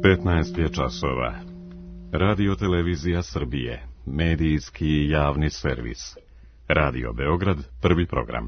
15 je časova. Radio Televizija Srbije, medijski javni servis. Radio Beograd, prvi program.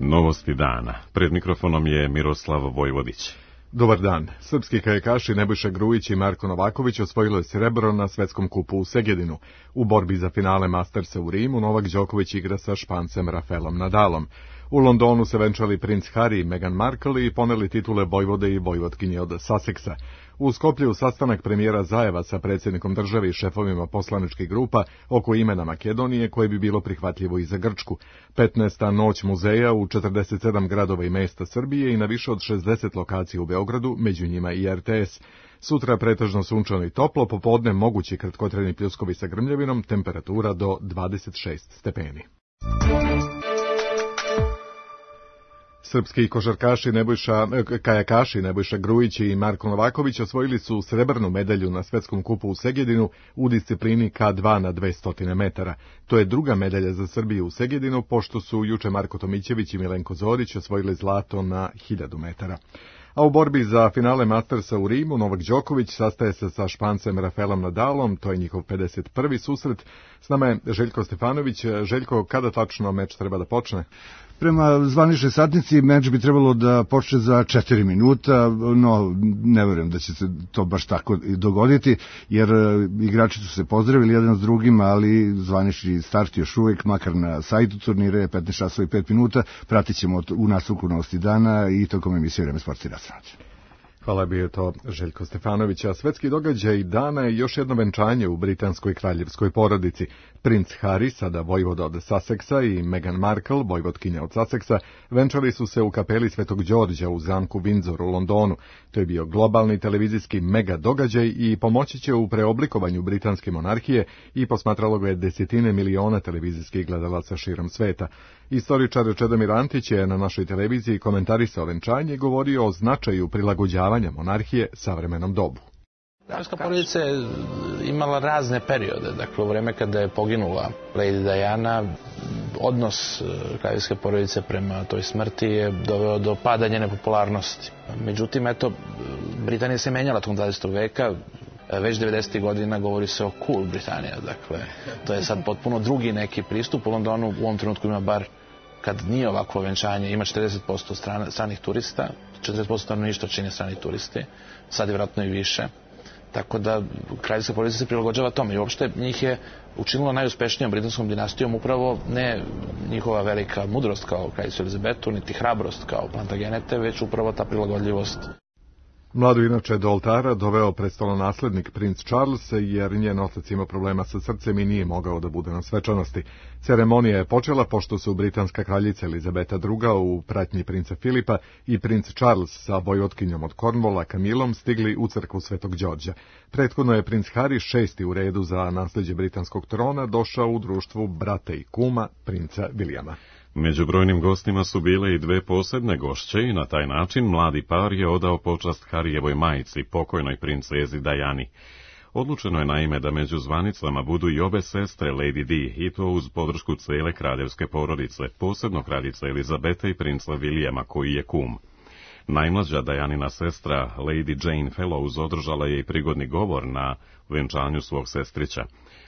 Novosti dana. Pred mikrofonom je Miroslav Vojvodić. Dobar dan. Srpski kajakaši Nebojša Grujić i Marko Novaković osvojilo je srebro na svetskom kupu u Segedinu. U borbi za finale Mastersa u Rimu Novak Đoković igra sa Špancem Rafaelom Nadalom. U Londonu se venčali princ Harry i Meghan Markle i poneli titule vojvode i vojvotkinje od Susseksa. U Skoplju sastanak premijera Zajeva sa predsjednikom države i šefovima poslaničkih grupa oko imena Makedonije koje bi bilo prihvatljivo i za Grčku. 15. noć muzeja u 47 gradova i mesta Srbije i na više od 60 lokacija u Beogradu, među njima i RTS. Sutra pretežno sunčano i toplo, popodne mogući kratkotrajni pljuskovi sa grmljavinom, temperatura do 26 stepeni. Srpski kajakaši Nebojša Grujić i Marko Novaković osvojili su srebrnu medalju na svetskom kupu u Segedinu u disciplini K2 na 200 metara. To je druga medalja za Srbiju u Segedinu, pošto su juče Marko Tomićević i Milenko Zorić osvojili zlato na 1000 metara. A u borbi za finale Mastersa u Rimu Novak Đoković sastaje se sa Špancem Rafaelom Nadalom, to je njihov 51. susret. S nama je Željko Stefanović. Željko, kada tačno meč treba da počne? Prema zvaničnoj satnici meč bi trebalo da počne za 4 minuta, no ne verujem da će se to baš tako dogoditi, jer igrači su se pozdravili jedan s drugim, ali zvanični start još uvijek, makar na sajtu turnira je 15 časova i 5 minuta, pratit ćemo u nastavku Novosti dana i tokom emisije Vreme sporta i rastranača. Hvala, bio je to Željko Stefanović. A svetski događaj dana je još jedno venčanje u britanskoj kraljevskoj porodici. Princ Harry, sada vojvoda od Susseksa, i Meghan Markle, vojvotkinja od Susseksa, venčali su se u kapeli Svetog Đorđa u zamku Windsor u Londonu. To je bio globalni televizijski mega događaj i pomoći će u preoblikovanju britanske monarhije i posmatralo ga je desetine miliona televizijskih gledalaca širom sveta. Istoričar Čedomir Antić je na našoj televiziji komentarisao venčanje i govorio o značaju prilagođavanja monarhije savremenom dobu. Kraljevska porodica je imala razne periode. Dakle, u vreme kada je poginula Lady Diana, odnos kraljevske porodice prema toj smrti je doveo do pada njene popularnosti. Međutim, eto, Britanija se menjala tokom 20. veka. Već 90. godina govori se o cool Britanija. Dakle, to je sad potpuno drugi neki pristup. U Londonu u ovom trenutku ima bar, kad nije ovakvo venčanje, ima 40% stranih turista, 40% stanovništva čine strani turisti, sad je vjerojatno i više. Tako da kraljevska porodica se prilagođava tome i uopšte njih je učinilo najuspešnijom britanskom dinastijom upravo ne njihova velika mudrost kao kraljicu Elizabetu, niti hrabrost kao Plantagenete, već upravo ta prilagodljivost. Mladu inače do oltara doveo prestolonaslednik princ Charles, jer njen otac ima problema sa srcem i nije mogao da bude na svečanosti. Ceremonija je počela pošto su britanska kraljica Elizabeta II u pratnji princa Filipa i princ Charles sa vojvotkinjom od Cornwalla Camillom stigli u crkvu Svetog Đorđa. Prethodno je princ Harry, 6. u redu za nasleđe britanskog trona, došao u društvu brata i kuma princa Williama. Među brojnim gostima su bile i dve posebne gošće i na taj način mladi par je odao počast Harijevoj majici, pokojnoj princezi Diani. Odlučeno je naime da među zvanicama budu i obe sestre Lady Di, i to uz podršku cele kraljevske porodice, posebno kraljice Elizabete i princa Williama, koji je kum. Najmlađa Dianina sestra, Lady Jane Fellows, održala je i prigodni govor na venčanju svog sestrića.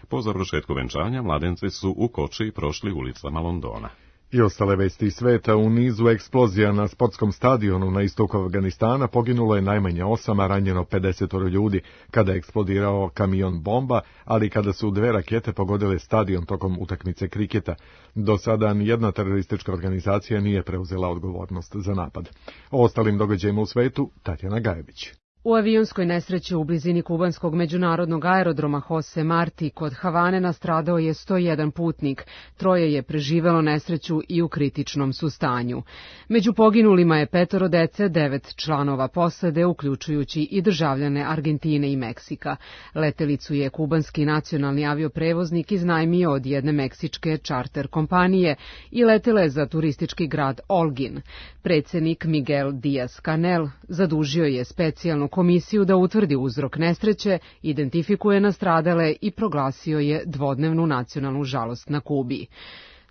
Po završetku venčanja mladenci su u koči prošli ulicama Londona. I ostale vesti iz sveta. U nizu eksplozija na sportskom stadionu na istoku Afganistana poginulo je najmanje 8, a ranjeno 50 ljudi kada je eksplodirao kamion bomba, ali kada su 2 rakete pogodile stadion tokom utakmice kriketa. Do sada nijedna teroristička organizacija nije preuzela odgovornost za napad. O ostalim događajima u svetu Tatjana Gajević. U avionskoj nesreći u blizini kubanskog međunarodnog aerodroma Jose Marti kod Havane nastradao je 101 putnik. 3 je preživelo nesreću i u kritičnom su stanju. Među poginulima je 5 dece, 9 članova posade, uključujući i državljane Argentine i Meksika. Letelicu je kubanski nacionalni avioprevoznik iznajmio od jedne meksičke čarter kompanije i letela je za turistički grad Holguin. Predsjednik Miguel Díaz-Canel zadužio je specijalnu komisiju da utvrdi uzrok nesreće, identifikuje nastradale i proglasio je dvodnevnu nacionalnu žalost na Kubi.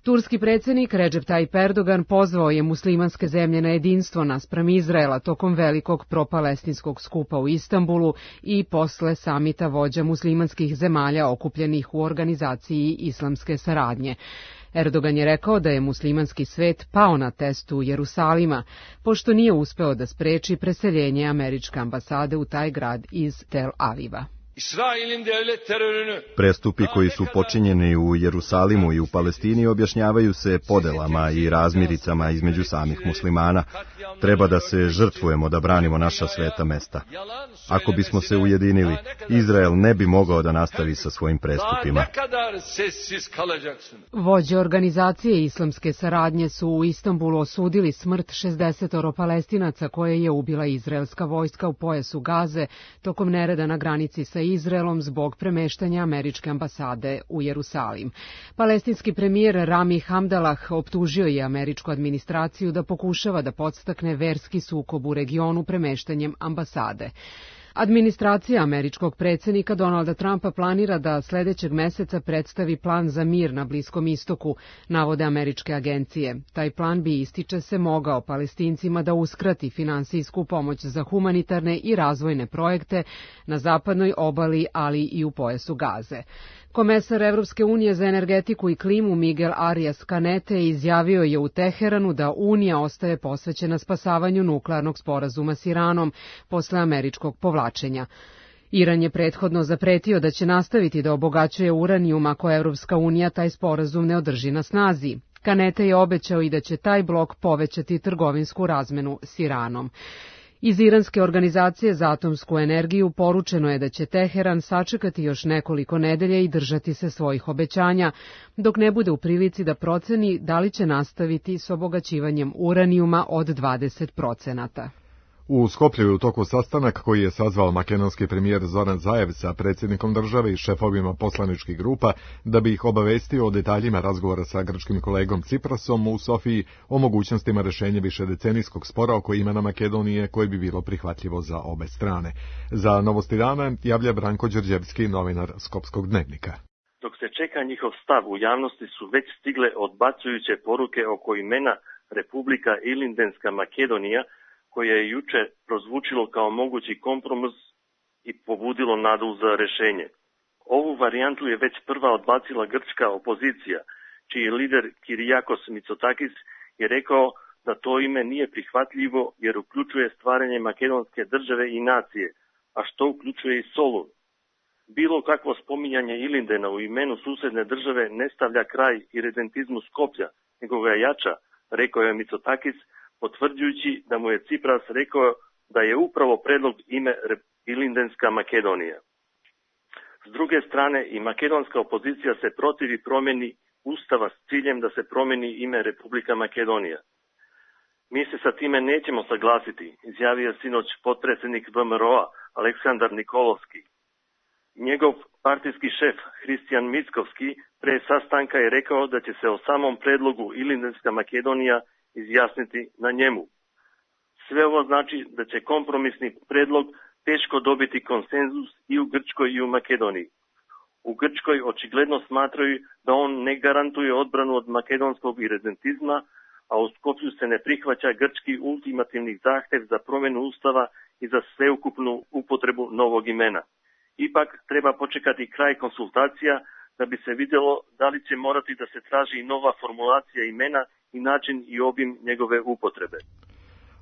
Turski predsjednik Recep Tayyip Erdogan pozvao je muslimanske zemlje na jedinstvo naspram Izraela tokom velikog propalestinskog skupa u Istanbulu i posle samita vođa muslimanskih zemalja okupljenih u organizaciji islamske saradnje. Erdogan je rekao da je muslimanski svet pao na testu Jerusalima, pošto nije uspeo da spreči preseljenje američke ambasade u taj grad iz Tel Aviva. Prestupi koji su počinjeni u Jerusalimu i u Palestini objašnjavaju se podelama i razmiricama između samih muslimana. Treba da se žrtvujemo da branimo naša sveta mesta. Ako bismo se ujedinili, Izrael ne bi mogao da nastavi sa svojim prestupima. Vođe organizacije islamske saradnje su u Istanbulu osudili smrt 60 Palestinaca koje je ubila izraelska vojska u pojasu Gaze tokom nereda na granici sa Izraelom zbog premeštanja američke ambasade u Jerusalim. Palestinski premijer Rami Hamdalah optužio je američku administraciju da pokušava da podstakne verski sukob u regionu premeštanjem ambasade. Administracija američkog predsjednika Donalda Trumpa planira da sledećeg meseca predstavi plan za mir na Bliskom istoku, navode američke agencije. Taj plan bi, ističe se, mogao Palestincima da uskrati finansijsku pomoć za humanitarne i razvojne projekte na zapadnoj obali, ali i u pojasu Gaze. Komesar Evropske unije za energetiku i klimu Miguel Arias Canete izjavio je u Teheranu da Unija ostaje posvećena spasavanju nuklearnog sporazuma s Iranom posle američkog povlačenja. Iran je prethodno zapretio da će nastaviti da obogaćuje uranijum ako Evropska unija taj sporazum ne održi na snazi. Canete je obećao i da će taj blok povećati trgovinsku razmenu s Iranom. Iz Iranske organizacije za atomsku energiju poručeno je da će Teheran sačekati još nekoliko nedelja i držati se svojih obećanja, dok ne bude u prilici da proceni da li će nastaviti s obogaćivanjem uranijuma od 20%. U Skoplju je u toku sastanak koji je sazvao makedonski premijer Zoran Zaev sa predsjednikom države i šefovima poslaničkih grupa da bi ih obavestio o detaljima razgovora sa grčkim kolegom Ciprasom u Sofiji o mogućnostima rešenja višedecenijskog spora oko imena Makedonije koje bi bilo prihvatljivo za obe strane. Za Novosti dana javlja Branko Đorđevski, novinar Skopskog dnevnika. Dok se čeka njihov stav, u javnosti su već stigle odbacujuće poruke oko imena Republika Ilindenska Makedonija, koje je juče prozvučilo kao mogući kompromis i pobudilo nadu za rešenje. Ovu varijantu je već prva odbacila grčka opozicija, čiji lider Kyriakos Mitsotakis je rekao da to ime nije prihvatljivo jer uključuje stvaranje makedonske države i nacije, a što uključuje i Solun. Bilo kakvo spominjanje Ilindena u imenu susedne države ne stavlja kraj iredentizmu Skoplja, nego ga jača, rekao je Mitsotakis, potvrđujući da mu je Cipras rekao da je upravo predlog ime Ilindenska Makedonija. S druge strane, i makedonska opozicija se protivi promjeni Ustava s ciljem da se promjeni ime Republika Makedonija. Mi se sa time nećemo saglasiti, izjavio je sinoć potpredsjednik VMRO-a Aleksandar Nikolovski. Njegov partijski šef Hristijan Mickovski pre sastanka je rekao da će se o samom predlogu Ilindenska Makedonija izjasniti na njemu. Sve ovo znači da će kompromisni predlog teško dobiti konsenzus i u Grčkoj i u Makedoniji. U Grčkoj očigledno smatraju da on ne garantuje odbranu od makedonskog iredentizma, a u Skopju se ne prihvaća grčki ultimativni zahtev za promjenu ustava i za sveukupnu upotrebu novog imena. Ipak treba počekati kraj konsultacija da bi se vidjelo da li će morati da se traži nova formulacija imena i način i obim njegove upotrebe.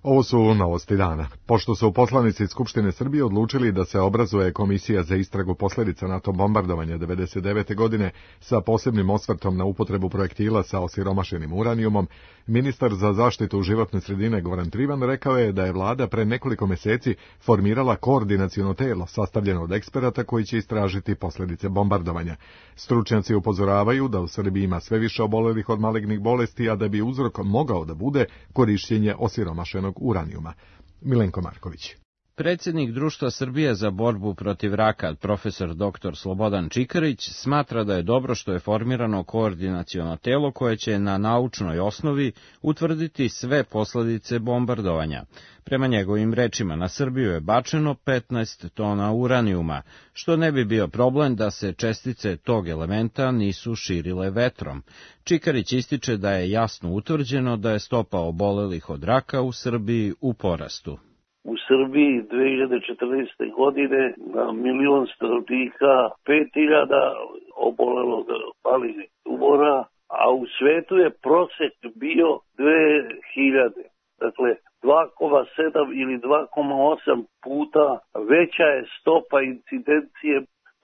Ovo su Novosti dana. Pošto su poslanici Skupštine Srbije odlučili da se obrazuje komisija za istragu posljedica NATO bombardovanja 1999. godine sa posebnim osvrtom na upotrebu projektila sa osiromašenim uranijumom, ministar za zaštitu životne sredine Goran Trivan rekao je da je vlada pre nekoliko mjeseci formirala koordinaciono telo sastavljeno od eksperata koji će istražiti posljedice bombardovanja. Stručnjaci upozoravaju da u Srbiji ima sve više obolelih od malignih bolesti, a da bi uzrok mogao da bude korišćenje osiromašenog uranijuma. Milenko Marković. Predsjednik Društva Srbije za borbu protiv raka, profesor dr. Slobodan Čikarić, smatra da je dobro što je formirano koordinaciono telo koje će na naučnoj osnovi utvrditi sve posledice bombardovanja. Prema njegovim rečima, na Srbiju je bačeno 15 tona uranijuma, što ne bi bio problem da se čestice tog elementa nisu širile vetrom. Čikarić ističe da je jasno utvrđeno da je stopa obolelih od raka u Srbiji u porastu. U Srbiji 2014. godine na 1.000.000 stanovnika 5.000 obolelog malignih tumora, a u svetu je prosek bio 2.000. Dakle, 2,7 ili 2,8 puta veća je stopa incidencije,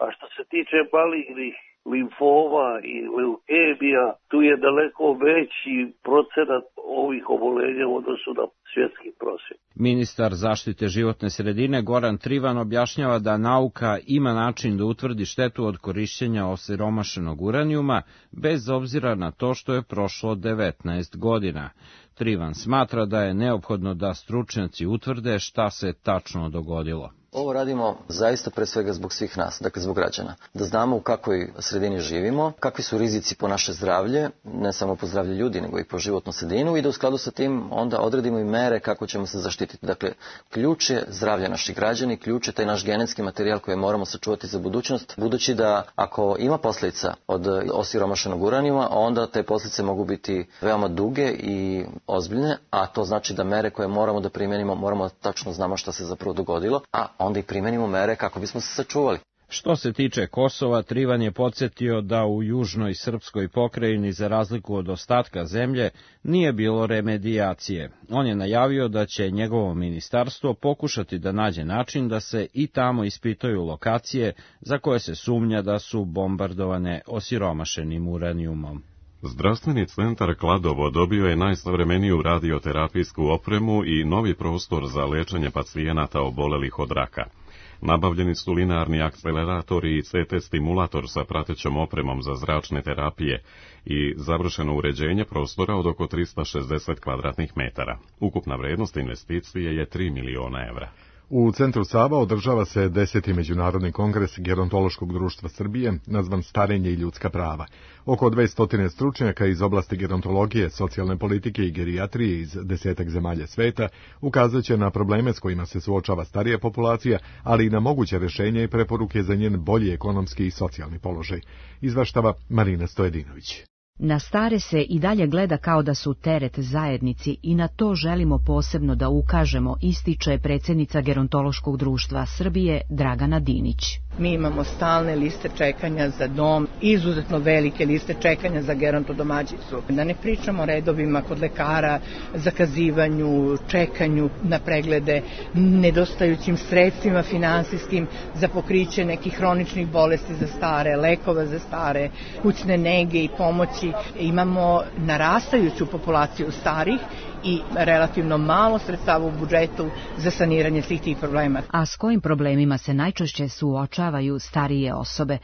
a što se tiče malignih limfoma i leukemija, tu je daleko veći procenat ovih oboljenja u odnosu na svjetski prosjek. Ministar zaštite životne sredine Goran Trivan objašnjava da nauka ima način da utvrdi štetu od korišćenja osiromašenog uranijuma, bez obzira na to što je prošlo 19 godina. Trivan smatra da je neophodno da stručnjaci utvrde šta se tačno dogodilo. Ovo radimo zaista pre svega zbog svih nas, dakle zbog građana. Da znamo u kakvoj sredini živimo, kakvi su rizici po naše zdravlje, ne samo po zdravlje ljudi, nego i po životnu sredinu i da u skladu sa tim onda odredimo i mere kako ćemo se zaštititi. Dakle, ključ je zdravlje naših građana, ključ je taj naš genetski materijal koji moramo sačuvati za budućnost, budući da ako ima posljedica od osiromašenog uranijuma, onda te posljedice mogu biti veoma duge i ozbiljne, a to znači da mere koje moramo da primenimo, moramo tačno znamo šta se zapravo dogodilo, a onda i primenimo mere kako bismo se sačuvali. Što se tiče Kosova, Trivan je podsjetio da u južnoj srpskoj pokrajini, za razliku od ostatka zemlje, nije bilo remedijacije. On je najavio da će njegovo ministarstvo pokušati da nađe način da se i tamo ispitaju lokacije za koje se sumnja da su bombardovane osiromašenim uranijumom. Zdravstveni centar Kladovo dobio je najsavremeniju radioterapijsku opremu i novi prostor za lečenje pacijenata obolelih od raka. Nabavljeni su linearni akceleratori i CT stimulator sa pratećom opremom za zračne terapije i završeno uređenje prostora od oko 360 kvadratnih metara. Ukupna vrednost investicije je 3 miliona evra. U Centru Sava održava se 10. Međunarodni kongres Gerontološkog društva Srbije, nazvan Starenje i ljudska prava. Oko 200 stručnjaka iz oblasti gerontologije, socijalne politike i gerijatrije iz 10 zemalja sveta ukazat će na probleme s kojima se suočava starija populacija, ali i na moguće rješenje i preporuke za njen bolji ekonomski i socijalni položaj. Izvaštava Marina Stojedinović. Na stare se i dalje gleda kao da su teret zajednici i na to želimo posebno da ukažemo, ističe predsjednica Gerontološkog društva Srbije Dragana Dinić. Mi imamo stalne liste čekanja za dom, izuzetno velike liste čekanja za gerontodomaćicu. Da ne pričamo o redovima kod lekara, zakazivanju, čekanju na preglede, nedostajućim sredstvima finansijskim za pokriće nekih hroničnih bolesti za stare, lekova za stare, kućne nege i pomoći. Imamo narastajuću populaciju starih i relativno malo sredstava u budžetu za saniranje svih tih problema. A s kojim problemima se najčešće suočavaju starije osobe?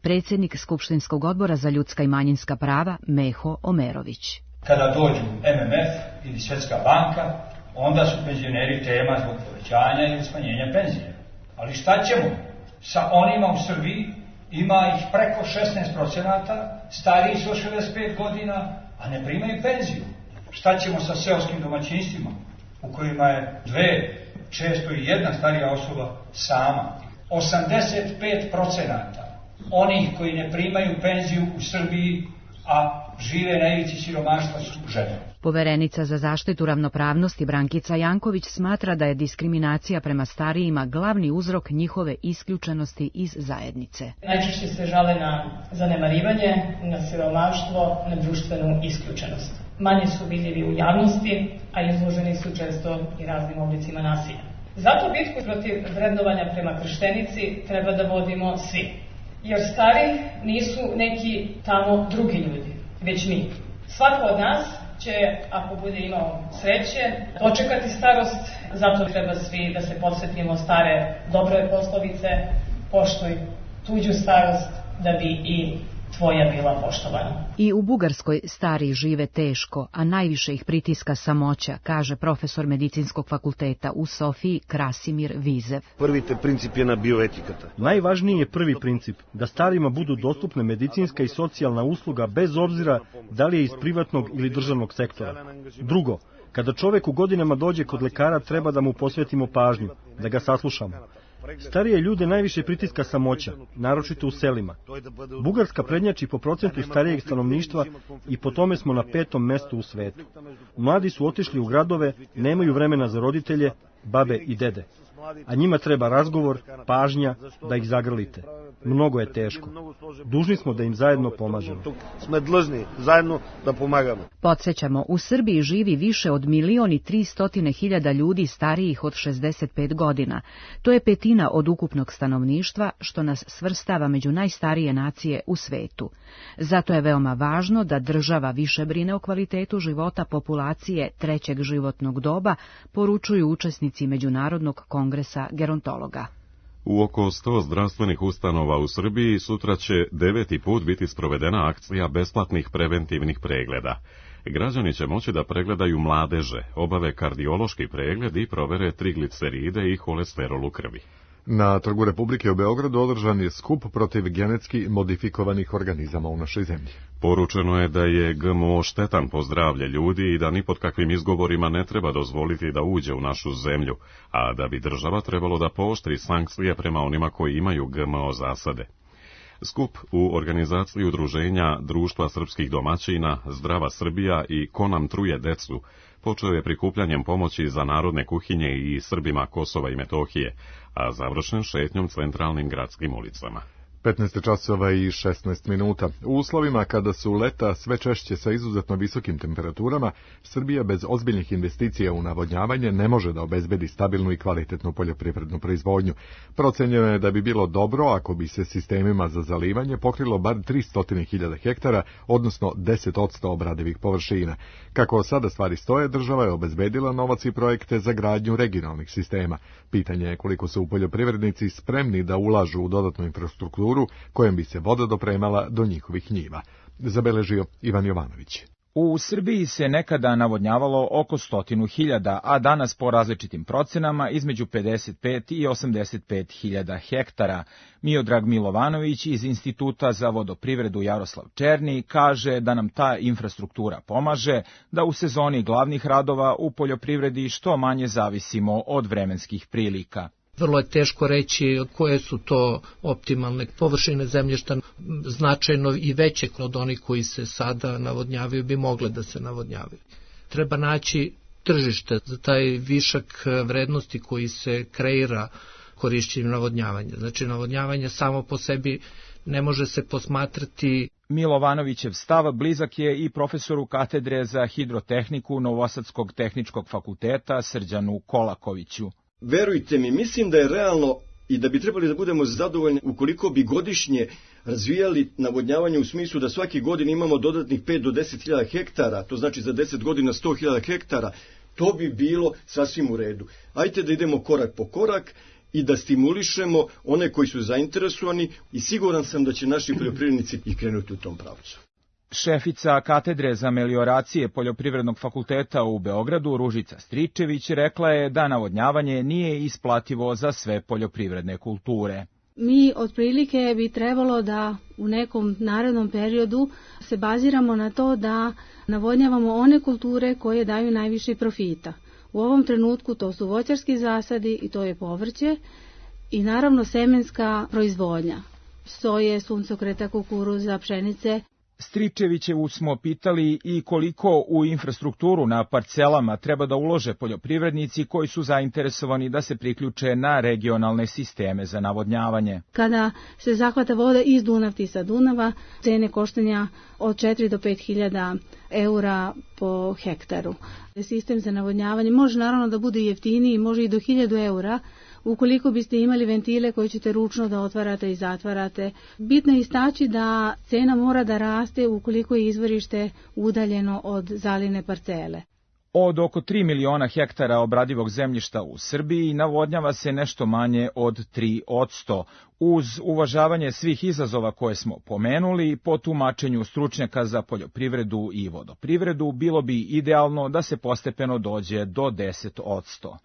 Predsjednik Skupštinskog odbora za ljudska i manjinska prava Meho Omerović. Kada dođu MMF ili Svjetska banka, onda su penzioneri tema zbog povećanja ili smanjenja penzije. Ali šta ćemo sa onima u Srbiji? Ima ih preko 16%, stariji su 65 godina, a ne primaju penziju. Šta ćemo sa seoskim domaćinstvima, u kojima je dve, često i jedna starija osoba sama? 85% onih koji ne primaju penziju u Srbiji, a žive na ivici siromaštva, su žene. Poverenica za zaštitu ravnopravnosti Brankica Janković smatra da je diskriminacija prema starijima glavni uzrok njihove isključenosti iz zajednice. Najčešće se žale na zanemarivanje, na siromaštvo, na društvenu isključenost. Manje su vidljivi u javnosti, a izloženi su često i raznim oblicima nasilja. Zato bitku protiv vrednovanja prema krštenici treba da vodimo svi. Jer stari nisu neki tamo drugi ljudi, već mi. Svako od nas će, ako bude imao sreće, dočekati starost. Zato treba svi da se podsjetimo stare dobre poslovice: poštuj tuđu starost da bi i svoja bila poštovana. I u Bugarskoj stariji žive teško, a najviše ih pritiska samoća, kaže profesor medicinskog fakulteta u Sofiji Krasimir Vizev. Prvite princip je na bioetikata. Najvažniji je prvi princip, da starima budu dostupne medicinska i socijalna usluga bez obzira da li je iz privatnog ili državnog sektora. Drugo, kada čovek u godinama dođe kod lekara, treba da mu posvetimo pažnju, da ga saslušamo. Starije ljude najviše pritiska samoća, naročito u selima. Bugarska prednjači po procentu starijeg stanovništva i po tome smo na 5. mestu u svetu. Mladi su otišli u gradove, nemaju vremena za roditelje, babe i dede. A njima treba razgovor, pažnja, da ih zagrlite. Mnogo je teško. Dužni smo da im zajedno pomažemo. Sme dlžni zajedno da pomagamo. Podsjećamo, u Srbiji živi više od 1.300.000 ljudi starijih od 65 godina. To je 1/5 od ukupnog stanovništva, što nas svrstava među najstarije nacije u svetu. Zato je veoma važno da država više brine o kvalitetu života populacije 3. životnog doba, poručuju učesnici Međunarodnog kongresa gerontologa. U oko 100 zdravstvenih ustanova u Srbiji sutra će 9. put biti sprovedena akcija besplatnih preventivnih pregleda. Građani će moći da pregledaju mladeže, obave kardiološki pregled i provere trigliceride i holesterol u krvi. Na Trgu Republike u Beogradu održan je skup protiv genetski modifikovanih organizama u našoj zemlji. Poručeno je da je GMO štetan po zdravlje ljudi i da ni pod kakvim izgovorima ne treba dozvoliti da uđe u našu zemlju, a da bi država trebalo da pooštri sankcije prema onima koji imaju GMO zasade. Skup u organizaciji udruženja Društva srpskih domaćina, Zdrava Srbija i Ko nam truje decu počeo je prikupljanjem pomoći za narodne kuhinje i Srbima Kosova i Metohije, a završen šetnjom centralnim gradskim ulicama. 15 časova i 16 minuta. U uslovima kada su leta sve češće sa izuzetno visokim temperaturama, Srbija bez ozbiljnih investicija u navodnjavanje ne može da obezbedi stabilnu i kvalitetnu poljoprivrednu proizvodnju. Procenjeno je da bi bilo dobro ako bi se sistemima za zalivanje pokrilo bar 300.000 hektara, odnosno 10% obradivih površina. Kako sada stvari stoje, država je obezbedila novac i projekte za gradnju regionalnih sistema. Pitanje je koliko su poljoprivrednici spremni da ulažu u dodatnu infrastrukturu kojom bi se voda dopremala do njihovih njiva. Zabeležio Ivan Jovanović. U Srbiji se nekada navodnjavalo oko 100.000, a danas po različitim procenama između 55 i 85.000 hektara. Miodrag Milovanović iz Instituta za vodoprivredu Jaroslav Černi kaže da nam ta infrastruktura pomaže da u sezoni glavnih radova u poljoprivredi što manje zavisimo od vremenskih prilika. Vrlo je teško reći koje su to optimalne površine zemljišta, značajno i veće od onih koji se sada navodnjavaju bi mogle da se navodnjavaju. Treba naći tržište za taj višak vrednosti koji se kreira korišćenjem navodnjavanja. Znači navodnjavanje samo po sebi ne može se posmatrati. Milovanovićev stav blizak je i profesoru katedre za hidrotehniku Novosadskog tehničkog fakulteta Srđanu Kolakoviću. Verujte mi, mislim da je realno i da bi trebali da budemo zadovoljni ukoliko bi godišnje razvijali navodnjavanje u smislu da svake godine imamo dodatnih 5 do 10.000 hektara, to znači za 10 godina 100.000 hektara, to bi bilo sasvim u redu. Ajde da idemo korak po korak i da stimulišemo one koji su zainteresovani i siguran sam da će naši poljoprivrednici i krenuti u tom pravcu. Šefica katedre za melioracije Poljoprivrednog fakulteta u Beogradu, Ružica Stričević, rekla je da navodnjavanje nije isplativo za sve poljoprivredne kulture. Mi otprilike bi trebalo da u nekom narednom periodu se baziramo na to da navodnjavamo one kulture koje daju najviše profita. U ovom trenutku to su voćarski zasadi i to je povrće i naravno semenska proizvodnja. Soje, suncokreta, kukuruza, pšenice. Stričevićevu smo pitali i koliko u infrastrukturu na parcelama treba da ulože poljoprivrednici koji su zainteresovani da se priključe na regionalne sisteme za navodnjavanje. Kada se zahvata voda iz Dunavti sa Dunava, cene koštanja od 4 do 5.000 eura po hektaru. Sistem za navodnjavanje može naravno da bude jeftiniji, može i do 1.000 eura, ukoliko biste imali ventile koje ćete ručno da otvarate i zatvarate. Bitno je istaći da cena mora da raste ukoliko je izvorište udaljeno od zaline parcele. Od oko 3 miliona hektara obradivog zemljišta u Srbiji navodnjava se nešto manje od 3%. Uz uvažavanje svih izazova koje smo pomenuli, po tumačenju stručnjaka za poljoprivredu i vodoprivredu, bilo bi idealno da se postepeno dođe do 10%.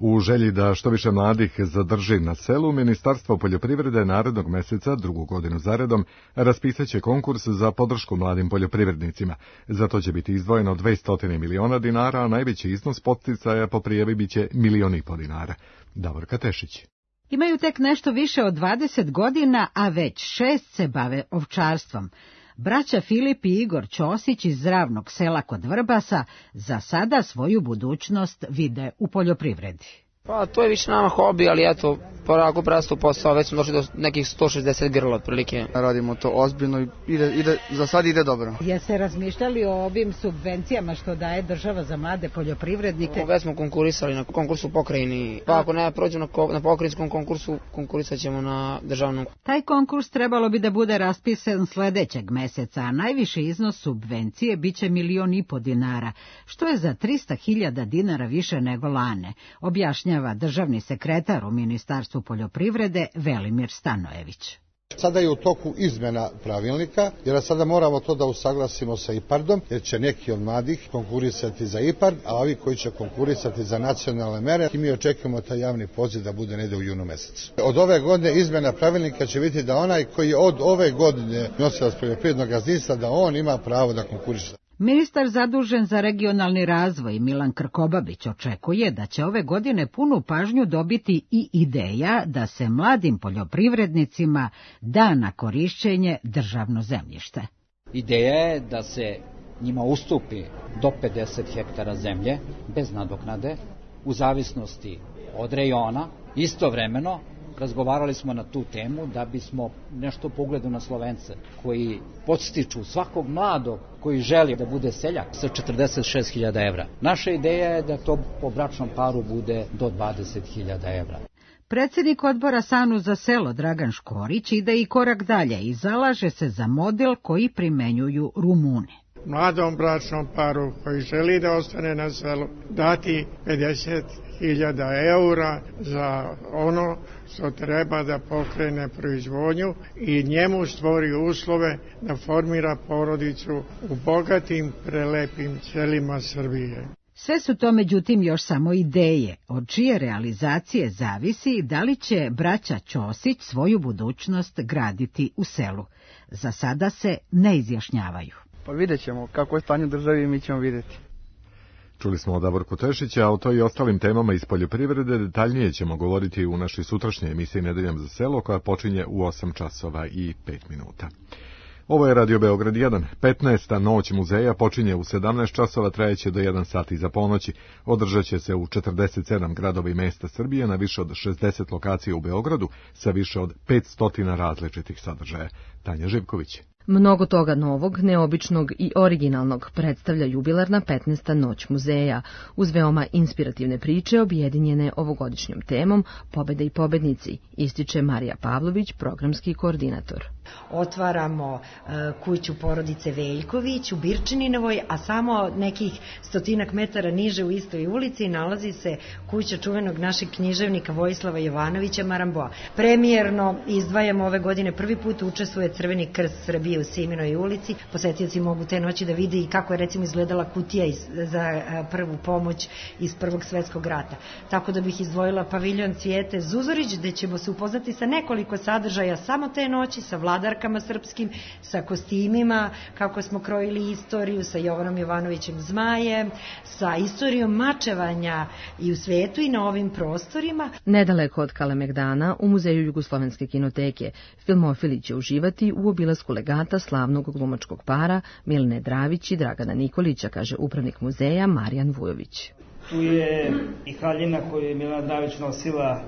U želji da što više mladih zadrži na selu, Ministarstvo poljoprivrede narednog meseca, drugu godinu zaredom, raspisaće konkurs za podršku mladim poljoprivrednicima. Za to će biti izdvojeno 200 miliona dinara, a najveći iznos podsticaja po prijavi biće 1,5 miliona dinara. Davorka Tešić. Imaju tek nešto više od 20 godina, a već 6 se bave ovčarstvom. Braća Filip i Igor Ćosić iz Ravnog sela kod Vrbasa za sada svoju budućnost vide u poljoprivredi. Pa to je više nama hobi, ali eto, polako prastu posao, već smo došli do nekih 160 grla otprilike. Radimo to ozbiljno i za sad ide dobro. Jeste razmišljali o ovim subvencijama što daje država za mlade poljoprivrednike? Već smo konkurisali na konkursu pokrajini, pa ako ne prođemo na pokrajinskom konkursu, konkurisat ćemo na državnom. Taj konkurs trebalo bi da bude raspisan sledećeg meseca, a najviši iznos subvencije biće 1,5 miliona dinara, što je za 300.000 dinara više nego lane, objašnjava državni sekretar u Ministarstvu poljoprivrede Velimir Stanojević. Sada je u toku izmena pravilnika, jer sada moramo to da usaglasimo sa IPARD-om, jer će neki od mladih konkurisati za IPARD, a ovi koji će konkurisati za nacionalne mere, i mi očekujemo taj javni poziv da bude negde u junu mesecu. Od ove godine izmena pravilnika će biti da onaj koji je od ove godine nosilac poljoprivrednog gazdinstva, da on ima pravo da konkuriše. Ministar zadužen za regionalni razvoj Milan Krkobabić očekuje da će ove godine punu pažnju dobiti i ideja da se mladim poljoprivrednicima da na korišćenje državno zemljište. Ideja je da se njima ustupi do 50 hektara zemlje bez nadoknade u zavisnosti od rejona. Istovremeno razgovarali smo na tu temu da bismo nešto po ugledu na Slovence koji podstiču svakog mladog koji želi da bude seljak sa 46.000 evra. Naša ideja je da to po bračnom paru bude do 20.000 evra. Predsjednik odbora SANU za selo Dragan Škorić ide i korak dalje i zalaže se za model koji primenjuju Rumuni. Mladom bračnom paru koji želi da ostane na selu dati 50.000 eura za ono što treba da pokrene proizvodnju i njemu stvori uslove da formira porodicu u bogatim, prelepim selima Srbije. Sve su to međutim još samo ideje, od čije realizacije zavisi da li će braća Ćosić svoju budućnost graditi u selu. Za sada se ne izjašnjavaju. Pa vidjet ćemo kako je stanje u državi i mi ćemo vidjeti. Čuli smo od Davorku Tešića, a o to i ostalim temama iz poljoprivrede detaljnije ćemo govoriti u našoj sutrašnjoj emisiji Nedeljom za selo, koja počinje u 8 časova i 5 minuta. Ovo je Radio Beograd 1. 15. noć muzeja počinje u 17 časova, trajeće do 1 sat iza ponoći. Održat će se u 47 gradova i mesta Srbije na više od 60 lokacija u Beogradu sa više od 500 različitih sadržaja. Tanja Živković. Mnogo toga novog, neobičnog i originalnog predstavlja jubilarna 15. noć muzeja, uz veoma inspirativne priče objedinjene ovogodišnjom temom Pobede i pobednici, ističe Marija Pavlović, programski koordinator. Otvaramo kuću porodice Veljković u Birčininovoj, a samo nekih 100 metara niže u istoj ulici nalazi se kuća čuvenog našeg književnika Vojislava Jovanovića Maramboa. Premijerno izdvajamo ove godine, prvi put učestvuje Crveni krst Srbije u Siminoj ulici. Posetioci mogu te noći da vide i kako je recimo izgledala kutija za prvu pomoć iz Prvog svetskog rata. Tako da bih izdvojila paviljon Cvijete Zuzorić, gde ćemo se upoznati sa nekoliko sadržaja samo te noći, sa vladarkama srpskim, sa kostimima, kako smo krojili istoriju, sa Jovanom Jovanovićem Zmajem, sa istorijom mačevanja i u svetu i na ovim prostorima. Nedaleko od Kalemegdana, u Muzeju Jugoslovenske kinoteke, filmofili će uživati u obilasku legata slavnog glumačkog para Milene Dravić i Dragana Nikolića, kaže upravnik muzeja Marijan Vujović. Tu je i haljina koju je Milena Dravić nosila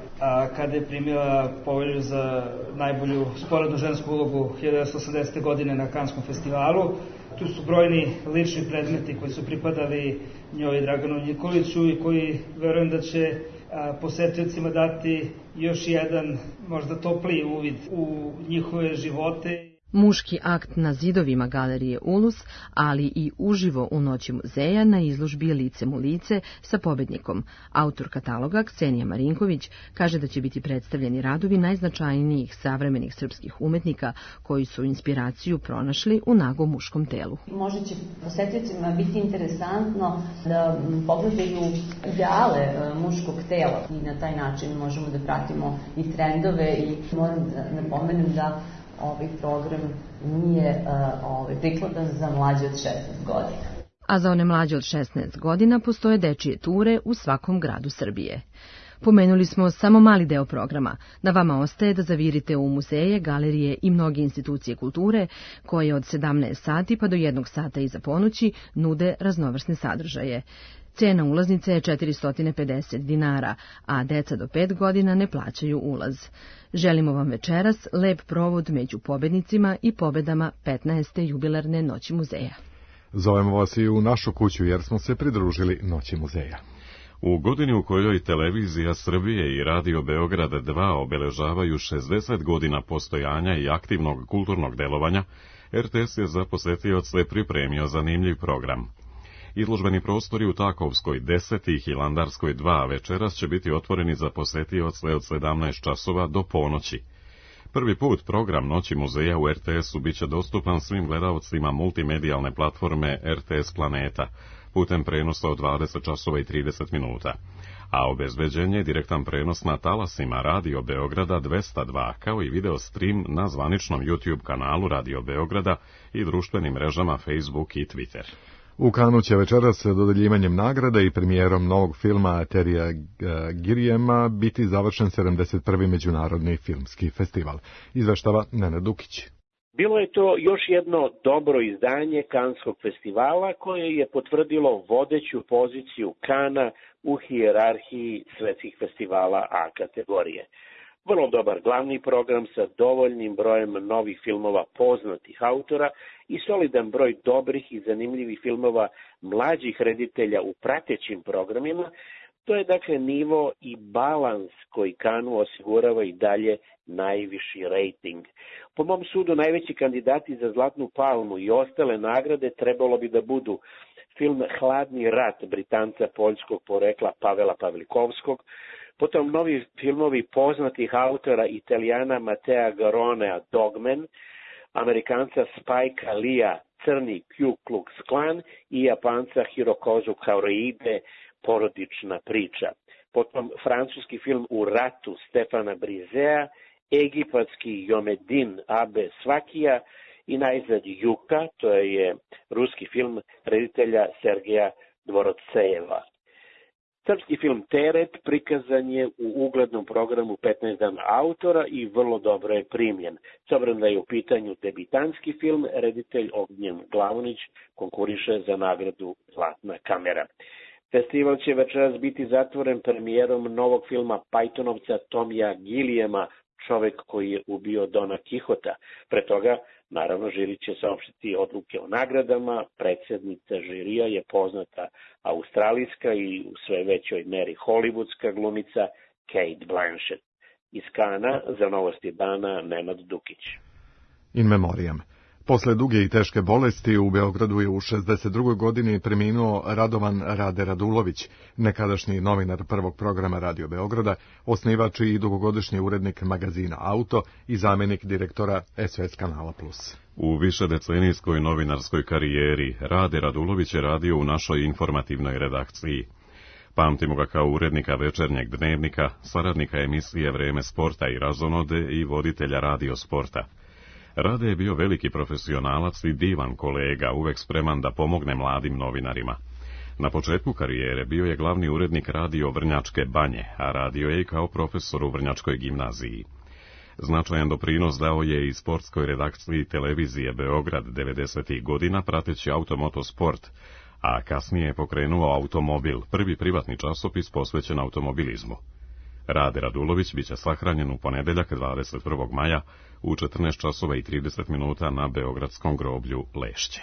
kada je primila povelju za najbolju sporednu žensku ulogu 1980. godine na Kanskom festivalu. Tu su brojni lični predmeti koji su pripadali njoj i Draganu Nikoliću i koji verujem da će posetiocima dati još jedan možda topliji uvid u njihove živote. Muški akt na zidovima galerije Ulus, ali i uživo u Noći muzeja na izložbi Licem u lice sa pobednikom. Autor kataloga Ksenija Marinković kaže da će biti predstavljeni radovi najznačajnijih savremenih srpskih umetnika koji su inspiraciju pronašli u nagom muškom telu. Možda će posetiocima biti interesantno da pogledaju ideale muškog tela i na taj način možemo da pratimo i trendove i moram da napomenem da ovaj program nije prikladan za mlađe od 16 godina. A za one mlađe od 16 godina postoje dečije ture u svakom gradu Srbije. Pomenuli smo samo mali deo programa. Na vama ostaje da zavirite u muzeje, galerije i mnoge institucije kulture koje od 17 sati pa do 1 sata iza ponoći nude raznovrsne sadržaje. Cena ulaznice je 450 dinara, a deca do 5 godina ne plaćaju ulaz. Želimo vam večeras lep provod među pobednicima i pobedama 15. jubilarne Noći muzeja. Zovemo vas i u našu kuću jer smo se pridružili Noći muzeja. U godini u kojoj Televizija Srbije i Radio Beograd 2 obeležavaju 60 godina postojanja i aktivnog kulturnog delovanja, RTS je za posetioce pripremio zanimljiv program. Izložbeni prostori u Takovskoj 10 i Hilandarskoj 2 večeras će biti otvoreni za posetioce od 17 časova do ponoći. Prvi put program Noći muzeja u RTS-u biće dostupan svim gledaocima multimedijalne platforme RTS Planeta, putem prenosa od 20 časova i 30 minuta, a obezbeđen je direktan prenos na talasima Radio Beograda 202, kao i video stream na zvaničnom YouTube kanalu Radio Beograda i društvenim mrežama Facebook i Twitter. U Kanu će večeras dodeljivanjem nagrada i premijerom novog filma Terija Girijema biti završen 71. međunarodni filmski festival. Izveštava Nenad Dukić. Bilo je to još jedno dobro izdanje Kanskog festivala koje je potvrdilo vodeću poziciju Kana u hijerarhiji svetskih festivala A kategorije. Vrlo dobar glavni program sa dovoljnim brojem novih filmova poznatih autora i solidan broj dobrih i zanimljivih filmova mlađih reditelja u pratećim programima. To je dakle nivo i balans koji Kanu osigurava i dalje najviši rejting. Po mom sudu najveći kandidati za Zlatnu palmu i ostale nagrade trebalo bi da budu film Hladni rat Britanca poljskog porekla Pavela Pavlikovskog, potom novi filmovi poznatih autora Italijana Matea Garonea Dogman, Amerikanca Spikea Leea Crni Ku Klux Klan i Japanca Hirokazu Koreide Porodična priča. Potom francuski film U ratu Stefana Brizea, egipatski Jomedin Abe Svakija i najzad Juka, to je ruski film reditelja Sergeja Dvorotsejeva. Srpski film Teret prikazan je u uglednom programu 15 dana autora i vrlo dobro je primljen. S obzirom da je u pitanju debitanski film, reditelj Ognjen Glavonić konkuriše za nagradu Zlatna kamera. Festival će večeras biti zatvoren premijerom novog filma Pajtonovca Tomija Gilijema, Čovek koji je ubio Dona Kihota. Pre toga, naravno, žiri će saopštiti odluke o nagradama. Predsjednica žirija je poznata australijska i u sve većoj meri hollywoodska glumica Kate Blanchett. Iz Kana za Novosti dana Nenad Dukić. In memoriam. Posle duge i teške bolesti u Beogradu je u 62. godini preminuo Radovan Rade Radulović, nekadašnji novinar prvog programa Radio Beograda, osnivač i dugogodišnji urednik magazina Auto i zamjenik direktora SOS kanala Plus. U višedecenijskoj novinarskoj karijeri Rade Radulović je radio u našoj informativnoj redakciji. Pamtimo ga kao urednika Večernjeg dnevnika, saradnika emisije Vreme sporta i razonode i voditelja Radio sporta. Rade je bio veliki profesionalac i divan kolega, uvek spreman da pomogne mladim novinarima. Na početku karijere bio je glavni urednik Radio Vrnjačke banje, a radio je i kao profesor u Vrnjačkoj gimnaziji. Značajan doprinos dao je i sportskoj redakciji Televizije Beograd 90. godina prateći automotosport, a kasnije je pokrenuo Automobil, prvi privatni časopis posvećen automobilizmu. Rade Radulović biće sahranjen u ponedeljak 21. maja u 14 časova i 30 minuta na beogradskom groblju Lešće.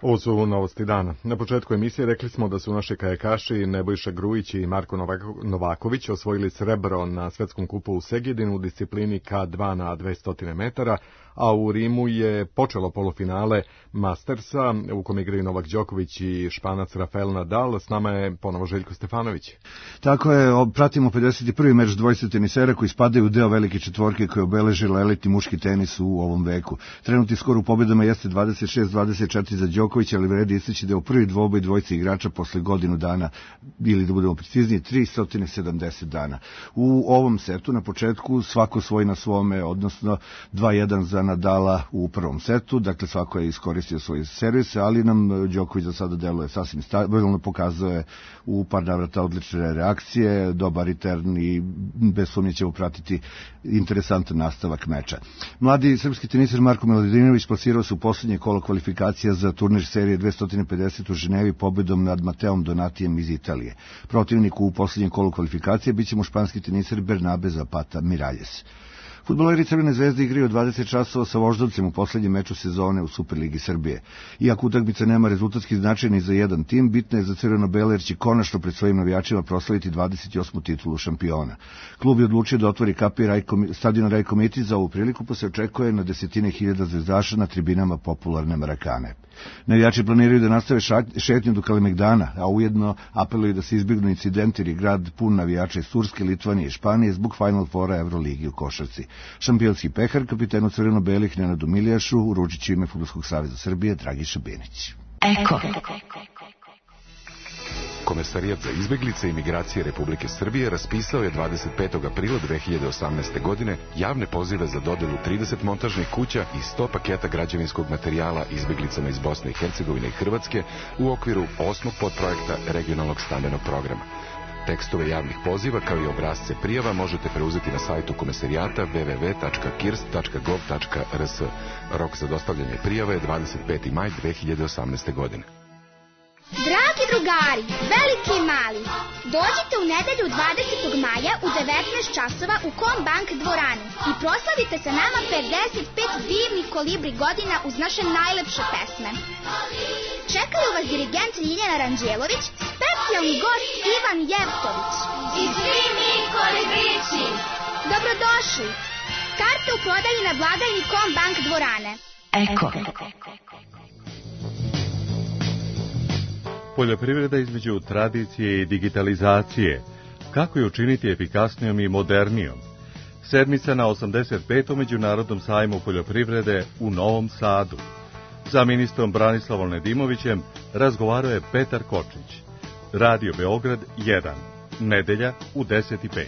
Ovo su novosti dana. Na početku emisije rekli smo da su naši kajakaši Nebojša Grujić i Marko Novaković osvojili srebro na svetskom kupu u Segedinu u disciplini K2 na 200 metara, a u Rimu je počelo polufinale Mastersa u kom igraju Novak Đoković i Španac Rafael Nadal. S nama je ponovo Željko Stefanović. Tako je, pratimo 51. meč dvojice tenisera koji spadaju u deo velike četvorke koje obeležila elitni muški tenis u ovom veku. Trenutni skor u pobedama jeste 26-24 za Đokovića, ali vredi istaći da je u prvi dvoboj dvojice igrača posle godinu dana, ili da budemo precizniji, 370 dana. U ovom setu na početku svako svoj na svome, odnosno 2-1 za Nadala u prvom setu, dakle svako je iskoristio svoje servise, ali nam Đoković za sada deluje sasvim stabilno, pokazuje u par navrata odlične reakcije, dobar return i bez sumnje ćemo pratiti interesantan nastavak meča. Mladi srpski teniser Marko Miladinović plasirao se u poslednje kolo kvalifikacija za turnir serije 250 u Ženevi pobedom nad Mateom Donatijem iz Italije. Protivnik u poslednjem kolu kvalifikacije biće mu španski teniser Bernabe Zapata Miralles. Fudbaleri Crvene zvezde igraju 20 časova sa Voždovcem u poslednjem meču sezone u Superligi Srbije. Iako utakmica nema rezultatski značaj ni za jedan tim, bitna je za crveno-bele jer će konačno pred svojim navijačima proslaviti 28. titulu šampiona. Klub je odlučio da otvori kapi stadion Rajko Mitić za ovu priliku, pa se očekuje na desetine hiljada zvezdaša na tribinama popularne Marakane. Navijači planiraju da nastave šetnju do Kalemegdana, a ujedno apeluju da se izbjegnu incidenti jer je grad pun navijača iz Turske, Litvanije i Španije zbog Final Fora Euroligi u košarci. Šampionski pehar kapitenu crveno-belih Nenadu Milijašu uručit će ime Fudbalskog saveza Srbije Dragiša Benić. Eko. Komesarijat za izbeglice i migracije Republike Srbije raspisao je 25. aprila 2018. godine javne pozive za dodelu 30 montažnih kuća i 100 paketa građevinskog materijala izbeglicama iz Bosne i Hercegovine i Hrvatske u okviru 8. podprojekta regionalnog stambenog programa. Tekstove javnih poziva kao i obrazce prijava možete preuzeti na sajtu komesarijata www.kirst.gov.rs. Rok za dostavljanje prijava je 25. maj 2018. godine. Dragi drugari, veliki i mali, dođite u nedelju 20. maja u 19 časova u Kombank dvorani i proslavite sa nama 55 divnih kolibri godina uz naše najlepše pesme. Čekaju vas dirigent Ljiljana Ranđelović, specijalni gost Ivan Jevtović. I svi mi kolibrići! Dobrodošli! Karte u prodaji na blagajni Kombank dvorane. Eko. Poljoprivreda između tradicije i digitalizacije. Kako je učiniti efikasnijom i modernijom? Sedmica na 85. Međunarodnom sajmu poljoprivrede u Novom Sadu. Za ministrom Branislavom Nedimovićem razgovarao je Petar Kočić. Radio Beograd 1. Nedelja u 10:05.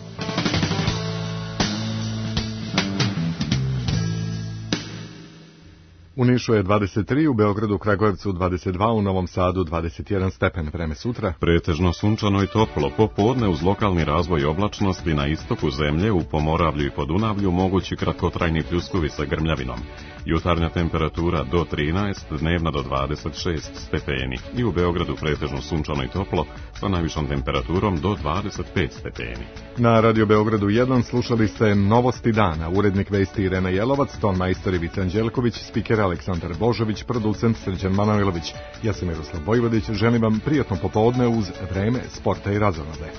U Nišu je 23, u Beogradu, Kragujevcu 22, u Novom Sadu 21 stepen. Vreme sutra pretežno sunčano i toplo, popodne uz lokalni razvoj oblačnosti na istoku zemlje, u Pomoravlju i Podunavlju mogući kratkotrajni pljuskovi sa grmljavinom. Jutarnja temperatura do 13, dnevna do 26 stepeni. I u Beogradu pretežno sunčano i toplo sa najvišom temperaturom do 25 stepeni. Na Radio Beogradu 1 slušali ste Novosti dana, urednik vesti Irena Jelovac, ton majstor Ivica Anđelković, spiker Aleksandar Božović, producent Srđan Manojlović. Ja sam Miroslav Vojvodić, želim vam prijatno popodne uz vreme, sporta i razonode.